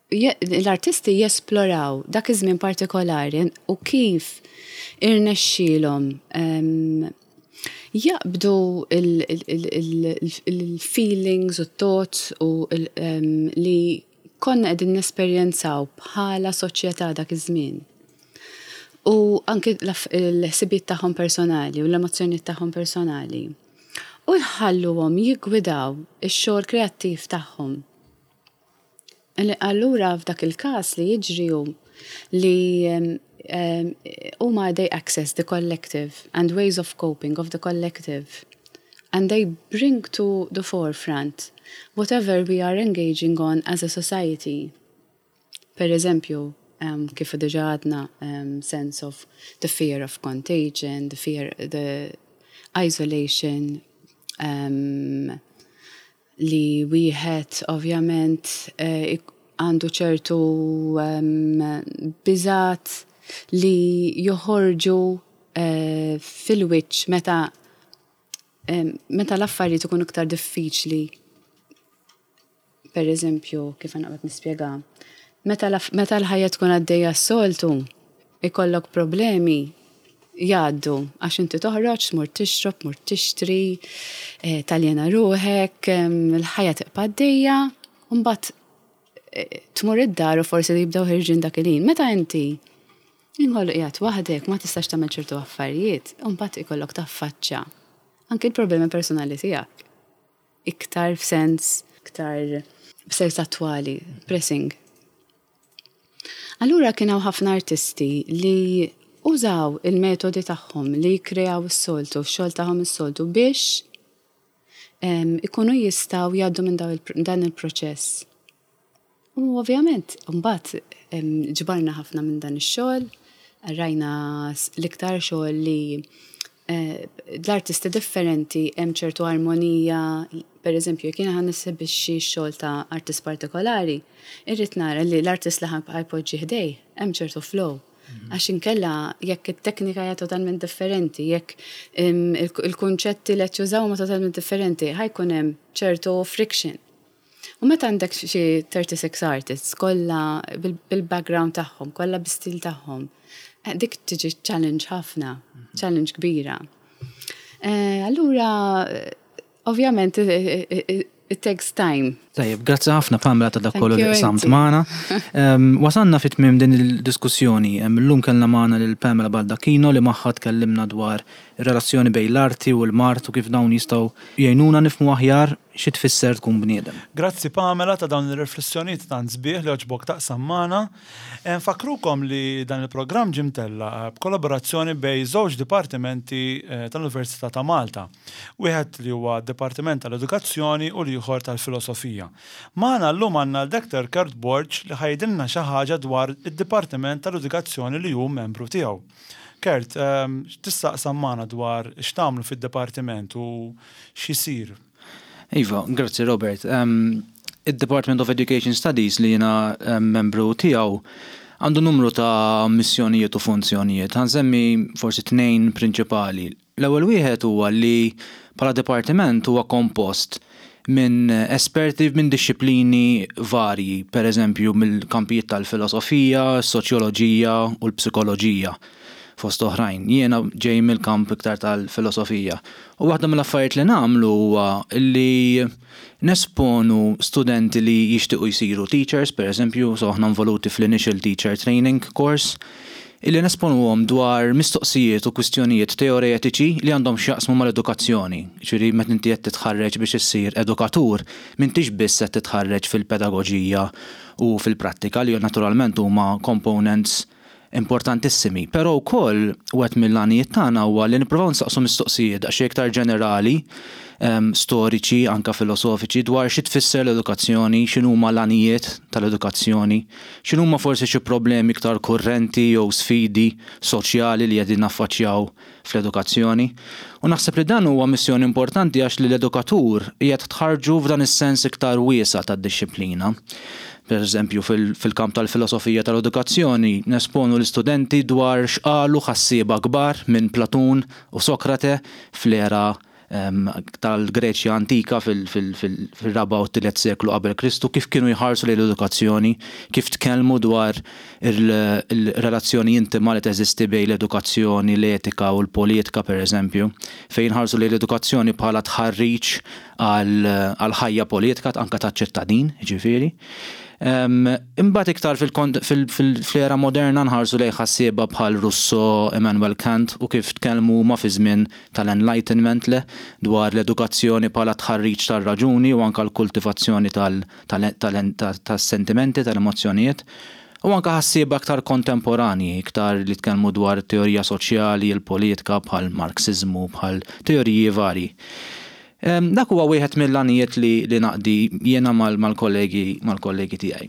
Speaker 2: l-artisti jesploraw dak iż-żmien partikolari u kif irnexxielhom jaqbdu il-feelings u thoughts u li konna qegħdin nesperjenzaw bħala soċjetà dak iż-żmien. U anke l-ħsibiet tagħhom personali u l-emozzjonijiet tagħhom personali. U jħalluhom jiggwidaw ix-xogħol kreattiv tagħhom. Allura f'dak il-każ li jiġri hu li huma they access the collective and ways of coping of the collective, and they bring to the forefront whatever we are engaging on as a society. Per eżempju, um, kif diġà għadna, um, sense of the fear of contagion, the fear, the isolation, um, li wieħed ovvjament eh, għandu ċertu um, biżat li joħorġu uh, fil-wiċċ meta um, meta l-affarijiet ikunu iktar diffiċli. Per eżempju, kif naqbad nispjega, meta l-ħajja tkun għaddejja s-soltu, ikollok problemi jgħaddu, għax inti toħroġ, tmur tixrob, tmur tixtri, eh, taljena ruħek, il-ħajja tibqa' għaddejja, u mbagħad eh, tmur id-dar u forsi jibdew ħerġin dak il-ħin. Meta inti inkollu qiegħed waħdek, ma tistax tagħmel ċertu affarijiet, u mbagħad ikollok taffaċċa anke l-problemi personali tiegħek. Iktar f'sens, iktar f'sens attwali, pressing. Allura kien hawn ħafna artisti li użaw il-metodi tagħhom li jikreaw is-soltu, x-xogħol tagħhom is-soltu biex ikunu jistgħu jgħaddu minn dan il-proċess. U ovvjament, mbagħad ġbarna ħafna minn dan ix-xogħol, rajna l-iktar xogħol li eh, l-artisti differenti hemm ċertu armonija, per eżempju, jekk jiena ħa nesebixxi xogħol ta' artist partikolari, irrid nara li l-artist li ħa jpoġġi ħdejh hemm ċertu flow. Għax inkella jekk it-teknika hija totalment differenti, jekk il-kunċetti li qed jużaw huma totalment differenti, ħa jkun hemm ċertu friction. U meta għandek xi thirty-six artists kollha bil-background tagħhom, kollha bi-stil tagħhom, eh, dik tiġi challenge ħafna, challenge kbira. Eh, allura, ovvjament, it takes time.
Speaker 1: Tajjeb, grazzi ħafna, Pamela, ta' dak kollu li qsamt magħna. Wasanna fit tmiem din il-diskussjoni. Illum kellna magħna lil Pamela Baldacchino li magħha tkellimna dwar ir-relazzjoni bejn l-arti u l-mard u kif dawn jistgħu jgħinuna nifhmu aħjar xi tfisser tkun bniedem.
Speaker 3: Grazzi, Pamela, ta' dawn ir-riflessjonijiet tant sbieħ li għoġbok taqsam magħna. Nfakkrukom li dan il-programm ġie mtella' b'kollaborazzjoni bejn żewġ dipartimenti eh, tal-Università ta' Malta. Wieħed li huwa Dipartiment tal-Edukazzjoni u l-ieħor tal-Filosofija. Magħna llum għandna l-Doctor Kurt Borg li ħa jgħidilna xi ħaġa dwar id-Dipartiment tal-Edukazzjoni li hu membru tiegħu. Kurt, ehm, tista' taqsam magħna dwar x'tagħmlu fid-dipartiment u x'isir?
Speaker 1: Iva, grazzi, Robert. Um, il-Department of Education Studies li jiena membru tiegħu għandu numru ta' missjonijiet u funzjonijiet. Ħa nsemmi forsi tnejn prinċipali. L-ewwel wieħed huwa li bħala dipartiment huwa kompost minn esperti minn disċiplini varji, per eżempju mill-kampijiet tal-filosofija, soċjoloġija u l-psikoloġija fost oħrajn. Jiena ġej mill-kamp iktar tal-filosofija. U waħda mill-affarijiet li nagħmlu huwa li nesponu studenti li jixtiequ jsiru teachers, per eżempju, so aħna involuti fl-Initial Teacher Training Course, illi nesponuhom dwar mistoqsijiet u kwistjonijiet teoretiċi li għandhom x'jaqsmu mal-edukazzjoni. Ġifieri meta inti qed titħarreġ biex issir edukatur, m'intix biss qed titħarreġ fil-pedagoġija u fil-prattika li naturalment huma components Importantissimi. Però wkoll wieħed mill-għanijiet tagħna huwa li nippruvaw nsaqsu mistoqsijiet daqsxejn iktar ġenerali, um, storiċi, anka filosofiċi dwar xi tfisser l-edukazzjoni, x'inhuma l-għanijiet tal-edukazzjoni, x'inhuma forsi xi problemi iktar kurrenti jew sfidi soċjali li qegħdin naffaċċjaw fl-edukazzjoni. U naħseb li dan huwa missjoni importanti għax li l-edukatur qiegħed tħarġu f'dan is-sens iktar wiesa' tad-dixxiplina. Per eżempju, fil-kamp tal-filosofija tal-edukazzjoni, nesponu l-istudenti dwar x'qalu ħassieba kbar minn Platun u Sokrate fl-era tal-Greċja antika fil-raba' u t-tielet seklu qabel Kristu, kif kienu jħarsu lejn l-edukazzjoni, kif tkellmu dwar il-relazzjoni intima li teżisti bejn l-edukazzjoni, l-etika u l-politika, per eżempju, fejn ħarsu lejn l-edukazzjoni bħala tħarriġ għal ħajja politika anka ta' ċittadin, ġifieri. Imbagħad iktar fil-era moderna nħarsu lejn ħassieba bħal Rousseau, Immanuel Kant u kif tkellmu ma fi żmien tal-Enlightenment le dwar l-edukazzjoni bħala tħarriġ tal-raġuni u anka l-kultivazzjoni tas-sentimenti, tal-emozzjonijiet. U anka ħassieba aktar kontemporani, iktar li tkellmu dwar teorija soċjali, il-politika, bħal Marxizmu, bħal teoriji vari. Dak huwa wieħed mill-għanijiet li, li naqdi jiena mal-kollegi mal-kollegi tiegħi.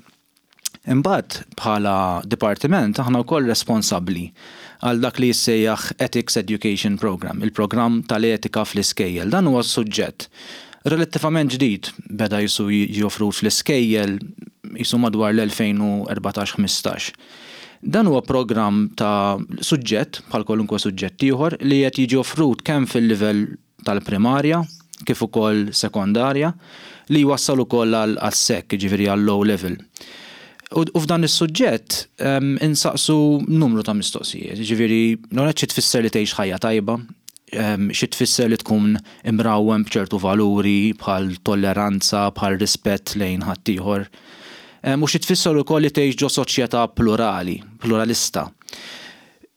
Speaker 1: Imbagħad, bħala dipartiment, aħna wkoll responsabbli għal dak li jissejjaħ Ethics Education Program, il-programm tal-etika fl-iskejjel. Dan huwa suġġett relattivament ġdid, beda jisu joffru fl-iskejjel jisu madwar l-elfejn u erbatax ħmistax. Dan huwa programm ta' suġġett bħal kwalunkwe suġġett ieħor li qed jiġi offrut kemm fil-livell tal-primarja kif ukoll sekondarja, li jwassal ukoll għal sek, ġifieri għal O level. U f'dan is-suġġett insaqsu numru ta' mistoqsijiet, ġifieri l xi tfisser li tgħix ħajja tajba, xi tfisser li tkun imrawwem b'ċertu valuri bħal tolleranza, bħal rispett lejn ħaddieħor. U xi tfisser ukoll li tgħix ġo soċjetà plurali, pluralista.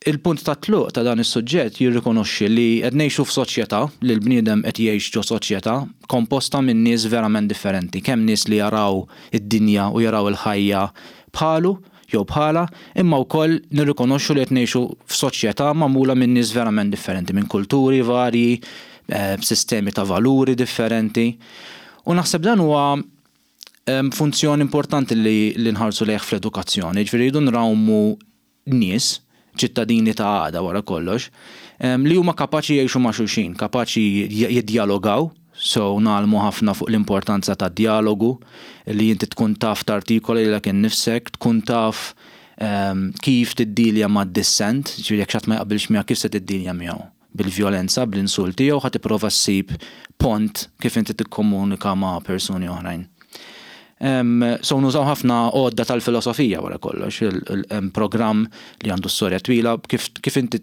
Speaker 1: Il-punt ta' tluq ta' dan is-suġġett jirrikonoxxi li qed ngħixu f'soċjetà, li l-bniedem qed jgħix ġo soċjetà komposta minn nies verament differenti, kemm nies li jaraw id-dinja u jaraw il-ħajja bħalu jew bħala, imma wkoll nirrikonoxxu li qed ngħixu f'soċjetà magħmula minn nies verament differenti, minn kulturi varji, eh, b'sistemi ta' valuri differenti. U naħseb dan huwa funzjoni importanti li, li nħarsu lejh fl-edukazzjoni, ġifieri jridu nrawmu nies, ċittadini ta' għada wara kollox, li huma kapaċi jgħixu ma' xulxin, kapaċi jiddialogaw, so ngħallmu ħafna fuq l-importanza ta' dialogu, li inti tkun taf tartikola lilek innifsek, tkun taf kif tiddilja ma' dissent, ġifieri jekk xi ħadd ma jaqbilx miegħek, kif se tiddilja miegħu? Bil-vjolenza, bl-insulti, jew ħa tipprova ssib pont kif inti tikkomunika ma' persuni oħrajn? So nużaw ħafna għodda tal-filosofija wara kollox, il-programm li għandu storja twila kif, kif inti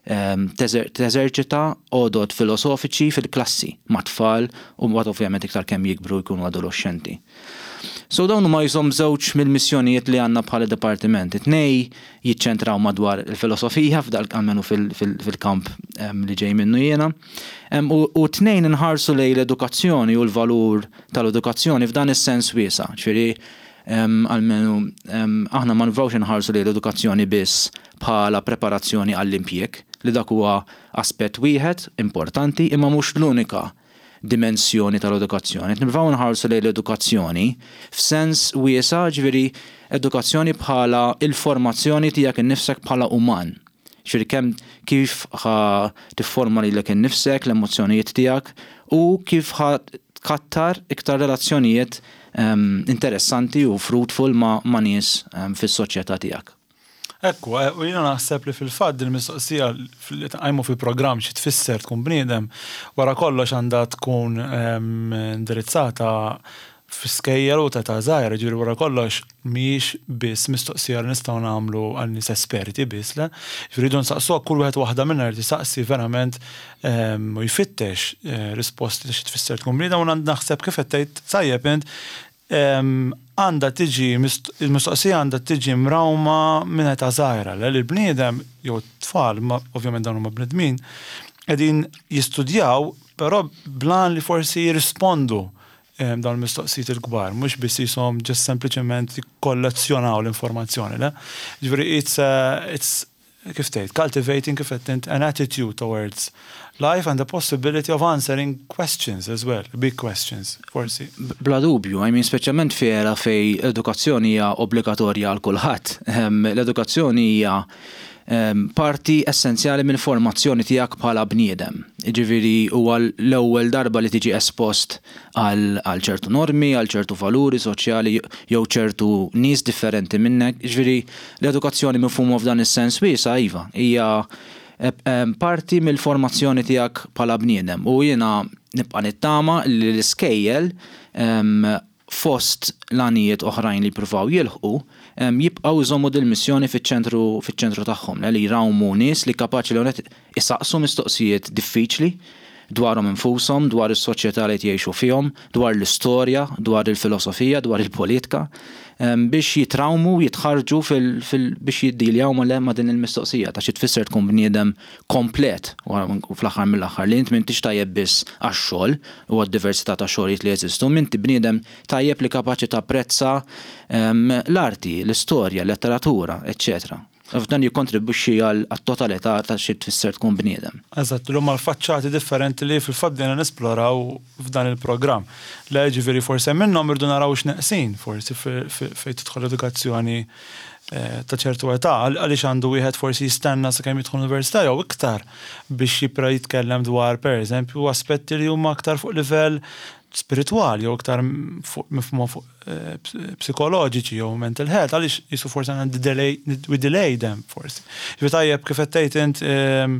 Speaker 1: teżerċita għodod filosofiċi fil-klassi ma' tfal u mbagħad ovvjament iktar kemm jikbru, jkunu adolescenti. So dawn huma jisom żewġ mill-missjonijiet li għandna bħala dipartiment. It-tnej jiċċentraw madwar il-filosofija f'dal almenu fil-kamp li ġej minnu jiena. U tnejn inħarsu lejn l-edukazzjoni u l-valur tal-edukazzjoni f'dan is-sens wiesa'. Ġifieri almenu aħna ma nivrawx inħarsu lejn l-edukazzjoni biss bħala preparazzjoni għall-impjieg, li dak huwa aspett wieħed importanti imma mhux l-unika dimensjoni tal-edukazzjoni. Nibqgħu nħarsu lejn l-edukazzjoni f'sens wiesa', ġifieri edukazzjoni bħala il-formazzjoni tiegħek innifsek bħala uman. Ġifieri kemm kif ħa tifforma lilek innifsek, l-emozzjonijiet tiegħek u kif ħa tkattar iktar relazzjonijiet um, interessanti u fruitful ma', ma nies um, fis-soċjetà tiegħek.
Speaker 3: Ekku, eh, u jiena naħseb li fil-fatt il mistoqsija li tqajmu fil-programm, xi tfisser tkun bniedem, wara kollox għandha tkun ehm, indirizzata fi skejjel u ta' ta' żgħir, ġifieri wara kollox mhijiex biss mistoqsija li nistgħu nagħmlu għal nies esperti biss, le. Ġifieri rridu nsaqsuha, kull wieħed, waħda minna jrid jisaqsi verament ehm, u jfittex eh, risposti ta' xi tfisser tkun bniedem, u naħseb, kif qed tgħid tajjeb int, għandha tiġi il-mistoqsija, għandha tiġi mrawma minn età żgħira, li l-bniedem jew tfal, ma ovvjament dawn huma bnedmin, qegħdin jistudjaw però blan li forsi jirrispondu dawn il-mistoqsijiet il-kbar, mhux biss jisom just sempliċement jikkollezzjonaw l-informazzjoni, le? Ġifieri it's, uh, it's kif tgħid, cultivating, kif qed, an attitude towards life and the possibility of answering questions as well, big questions, forsi.
Speaker 1: Bla dubju, I mean, speċjalment f'era fejn edukazzjoni hija obbligatorja għal kulħadd. L-edukazzjoni hija parti essenzjali mill-formazzjoni tiegħek bħala bniedem. Ġifieri huwa l-ewwel darba li tiġi espost għal ċertu normi, għal ċertu valuri soċjali jew ċertu nies differenti minnek. Ġifieri l-edukazzjoni mifhuma f'dan is-sens wiesa', iva, hija parti mill-formazzjoni tiegħek bħala bniedem. U jiena nibqa' nittama li l-iskejjel, fost l-għanijiet oħrajn li jippruvaw jilħqu, jibqgħu jżommu dil-missjoni fiċ-ċentru fiċ-ċentru tagħhom, li jrawmu nies li kapaċi li isaqsu mistoqsijiet diffiċli dwarhom infushom, dwar is-soċjetà li jgħixu fihom, dwar l-istorja, dwar il-filosofija, dwar il-politika, biex jitrawmu, jitħarġu biex jiddiljaw ma' din il-mistoqsija ta' xi tfisser tkun bniedem komplet u fl-aħħar mill-aħħar, li int m'intix tajjeb biss għax-xogħol u għad-diversità ta' xogħlijiet li jeżistu, inti bniedem tajjeb li kapaċi tapprezza l-arti, l-istorja, l-letteratura, eċċetera. F'dan jikkontribwixxi għat-totalità ta' xi tfisser tkun bniedem.
Speaker 3: Eżatt, l huma l-faċċati differenti li fil-fatt bdejna nesploraw f'dan il-programm. Le, ġifieri forsi minnhom irdu naraw x'neqsin, forsi fejn tidħol edukazzjoni eh, ta' ċertu età, għaliex għandu wieħed forsi jistenna sakemm jidħol università jew iktar biex jibda jitkellem dwar, pereżempju, aspetti li huma aktar fuq livell spirituali jew iktar mifhuma fuq eh, psikoloġiċi jew mental health, għaliex jisu forsi għandna delay, we delay them forsi. Ġifieri tajjeb kif qed tgħid int ehm,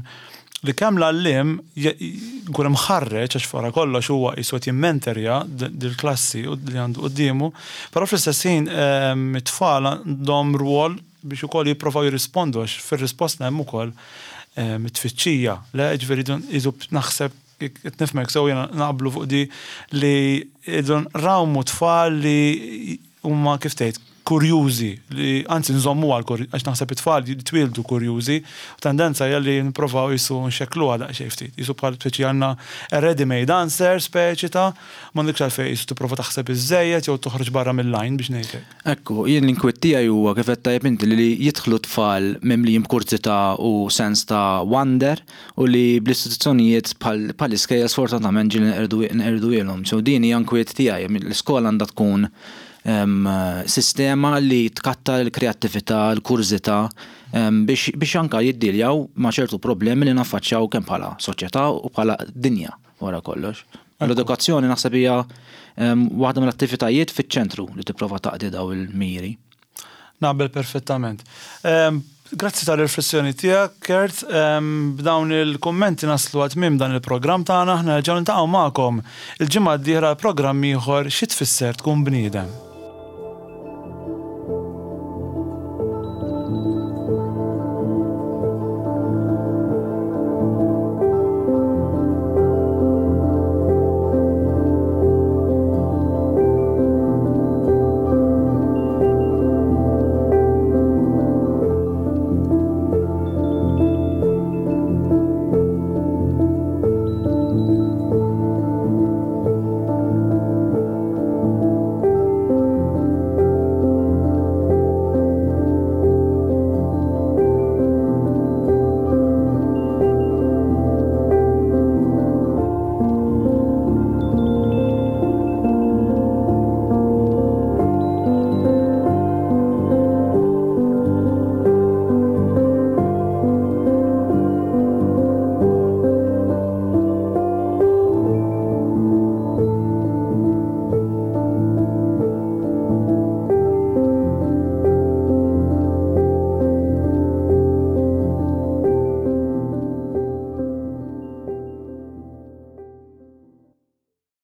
Speaker 3: li kemm l-għalliem jkun imħarreġ, għax wara kollox huwa jisu qed jimmenterja dil-klassi li għandu quddiemu, però fl-istess ħin ehm, it-tfal għandhom rwol biex ukoll jipprovaw jirrispondu, għax fir-risposta hemm ukoll ehm, it-tfittxija. Le, ġifieri jisu naħseb qed nifhmek sew, jiena naqblu fuq di li idun rawmu tfal li huma, kif tgħid, kurjużi, li anzi nżommu għal għax naħseb it-tfal jitwieldu kurjużi, u tendenza hija li nipprovaw jisu nxekkluha daqsxejn ftit. Jisu bħal speċi għandna a ready-made answer, speċi ta' m'għandekx għalfejn jisu tipprova taħseb iżżejjed jew toħroġ barra mill-line, biex ngħidlek.
Speaker 1: Ekku, jien l-inkwiet tiegħi huwa, kif qed tajjeb inti, li jidħlu tfal mimlijin b'kurżità u sens ta' wonder u li bl-istituzzjonijiet bħal iskejjel sfortunatament ġieli nqerduhielhom. So din hija nkwiet tiegħi, l-iskola għandha tkun sistema li tkattar il-kreattività, l-kurżità biex, biex anka jiddiljaw ma' ċertu problemi li naffaċċjaw kemm bħala soċjetà u bħala dinja wara kollox. L-edukazzjoni naħseb hija waħda mill-attivitajiet fiċ-ċentru li tipprova taqdi daw il-miri.
Speaker 3: Naqbel perfettament. Grazzi tal-riflessjoni tiegħek, Kurt. B'dawn il-kummenti naslu għal tmiem dan il-programm tagħna. Aħna nerġgħu niltaqgħu magħkom il-ġimgħa d-dieħla, programm ieħor, Xi Tfisser Tkun Bniedem.